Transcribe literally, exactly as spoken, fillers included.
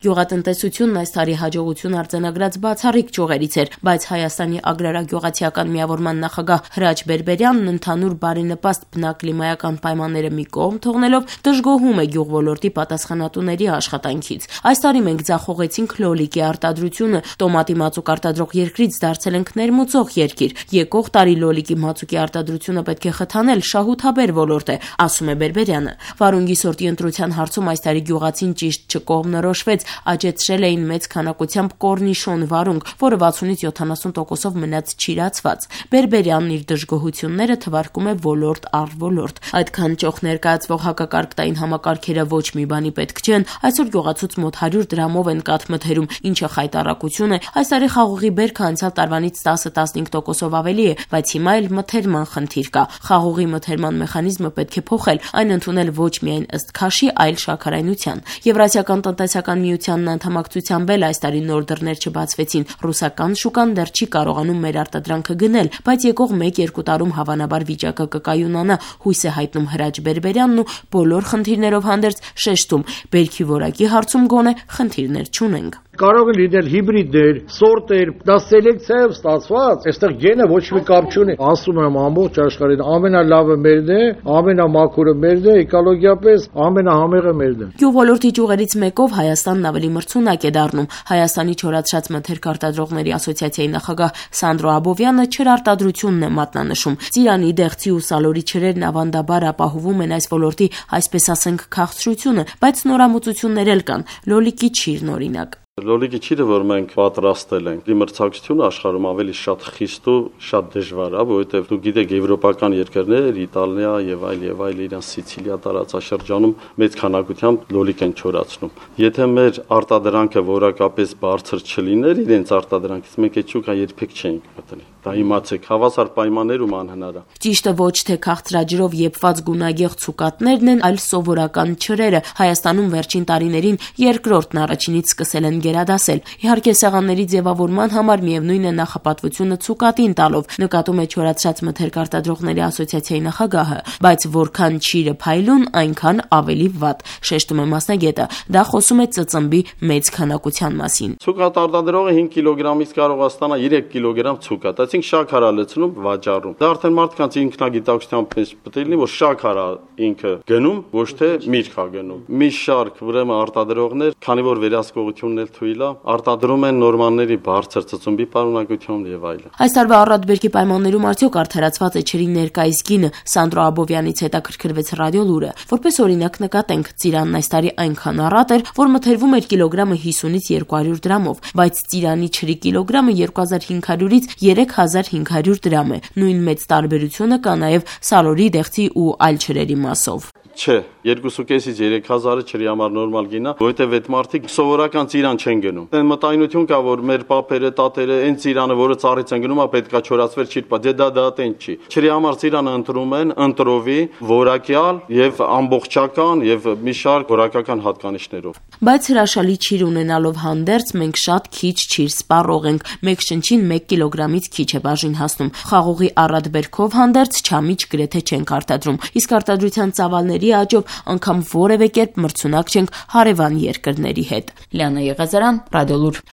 Գյուղատնտեսությունն այս տարի հաջողություն արձանագրած բացառիկ ճյուղերից էր, բայց Հայաստանի ագրարագյուղացիական միավորման նախագահ Հրաչ Բերբերյանն ընդհանուր բարենպաստ բնակլիմայական պայմանները մի կողմ թողնելով դժգոհում է գյուղոլորտի պատասխանատուների աշխատանքից։ Այս տարի մենք ձախողեցինք լոլիկի արտադրությունը, տոմատի մածուկ արտադրող երկրից դարձել ենք ներմուծող երկիր։ Եկող տարի լոլիկի մածուկի արտադրությունը պետք է խթանել, շահութաբեր ոլորտ է, ասում է Բերբերյանը։ Վարունգի սորտի ընտրության հարցում այս տարի գյուղացին ճիշտ չկողմնորոշվեց, աճեցրել էին մեծ քանակությամբ կորնիշոն վարունգ, որը վաթսունից յոթանասուն տոկոսով մնաց չիրացված։ Բերբերյանն իր դժգոհությունները թվարկում է ոլորտ առ ոլորտ։ Այդքան ճոխ ներկայացվող հակակարգտային համակարգերը ոչ մի բանի պետք չեն, այսօր գյուղացուց մոտ հարյուր դրամով են կաթ մթերում, ինչը խայտառակություն է։ Այս տարի խաղողի բերքը անցյալ տարվանից տասը տասնհինգ տոկոսով ավելի է, բայց հիմա էլ մթերման խնդիր կա։ Խաղողի մթերման մեխանիզմը պետք է փոխել, այն ընդունել ոչ միայն ըստ քաշի, այլ շաքարայնության։ Եվրասիական տնտեսական միությանն անդամակցությամբ էլ այս տարի նոր դռներ չբացվեցին։ Ռուսական շուկան դեռ չի կարողանում մեր արտադրանքը գնել, բայց եկող մեկ-երկու տարում հավանաբար վիճակը կկայունանա, հույս է հայտնում Հրաչ Բերբերյանն ու բոլոր խնդիրներով հանդերձ շեշտում՝ բերքի որակի հարցում գոնե խնդիրներ չունենք։ Կարող է լինել հիբրիդներ, սորտեր, դա սելեկցիայով ստացված, այստեղ գենը ոչ մի կապ չունի։ Ասում եմ ամբողջ աշխարհին ամենալավը մերն է, ամենամաքուրը մերն է, էկոլոգիապես ամենահամեղը մերն է։ Գյուղոլորտի ճյուղերից մեկով Հայաստանն ավելի մրցունակ է դառնում։ Հայաստանի չորացրած մթերք արտադրողների ասոցիացիայի նախագահ Սանդրո Աբովյանը չրարտադրությունն է մատնանշում։ Ծիրանի, դեղցի ու սալորի չրերն ավանդաբար ապահովում են այս ոլորտի, այսպես ասենք, քաղցրությունը, բայց նորամուծություններ էլ կան։ Լոլիկի չիրն օրինակ։ Լոլիկի չիրը, որ մենք պատրաստել ենք, մրցակցությունը աշխարհում ավելի շատ խիստ ու շատ դժվար է, որովհետև դուք գիտեք, եվրոպական երկրներ, Իտալիա եւ այլ եւ այլ իրենց Սիցիլիա տարածաշրջանում մեծ քանակությամբ լոլիկ են չորացնում։ Եթե մեր արտադրանքը որակապես բարձր չլիներ, իրենց արտադրանքից մենք այդ շուկա երբեք չենք մտնի։ Դա իմացեք, հավասար պայմաններում անհնար է։ Ճիշտը ոչ թե քաղցրաջրով եփված գունագեղ ցուկատներն են, այլ սովորական չրերը։ Հայաստանում վերջին տարիներին երկրորդն առաջինից սկսել են գերադասել։ Իհարկե սեղանների ձևավորման համար միևնույն է նախապատվությունը ցուկատին տալով, նկատում է չորացրած մթերք արտադրողների ասոցիացիայի նախագահը, բայց որքան չիրը փայլուն, այնքան ավելի վատ, շեշտում է մասնագետը։ Դա խոսում է ծծմբի մեծ քանակության մասին։ Ցուկատ արտադրողը հինգ կիլոգրամից կարող է ստանալ երեք կիլոգրամ ցուկատ, այսինքն շաքար է լցնում, վաճառում։ Դա արդեն մարդկանց ինքնագիտակցությամբ պետք է լինի, որ շաքար է ինքը գնում, ոչ թե միրգ է գնում։ Մի շարք ուրեմն արտադրողներ, քանի որ վերահսկողությունն էլ թույլ է, արտադրում են նորմանների բարձր ծծմբի պարունակությամբ եւ այլն։ Այս տարվա առատբերքի պայմաններում արդյոք արդարացված է չրի ներկայիս գինը, Սանդրո Աբովյանից հետաքրքրվեց Ռադիոլուրը։ Որպես օրինակ նկատենք, ծիրանն այս տարի այնքան առատ էր, որ մթերվում էր կիլոգրամը հիսունից երկու հարյուր դրամով, բայց ծիրանի չրի կիլոգրամը երկու հազար հինգ հարյուրից երեք հազար հինգ հարյուր դրամ է։ Նույն մեծ տարբերությունը կա նաեւ սալորի, դեղցի ու այլ չրերի մասով։ Չէ, երկու կեսից երեք հազարը չրի համար նորմալ գինա, որովհետև այդ մարդիկ սովորական ծիրան չեն գնում։ Այն մտայնություն կա, որ մեր պապերը, տատերը այն ծիրանը, որը ծառից են գնում, պետքա չորացվեր չի, դե դա դա տեն չի։ Չրի համար ծիրանը ընտրում են ընտրովի, որակյալ եւ ամբողջական եւ մի շարք որակական հատկանիշներով։ Բայց հրաշալի չիր ունենալով հանդերձ մենք շատ քիչ չիր սպառող ենք։ Մեկ շնչին մեկ կիլոգրամից քիչ է բաժին հասնում։ Խաղողի առատ բերքով հանդերձ չամիչ գրեթե չենք արտադրում։ Իսկ արտադրության ծավալների աճով անգամ որևէ կերպ մրցունակ չենք հարևան երկրների հետ։ Լիանա Եղազարյան, Ռադիոլուր։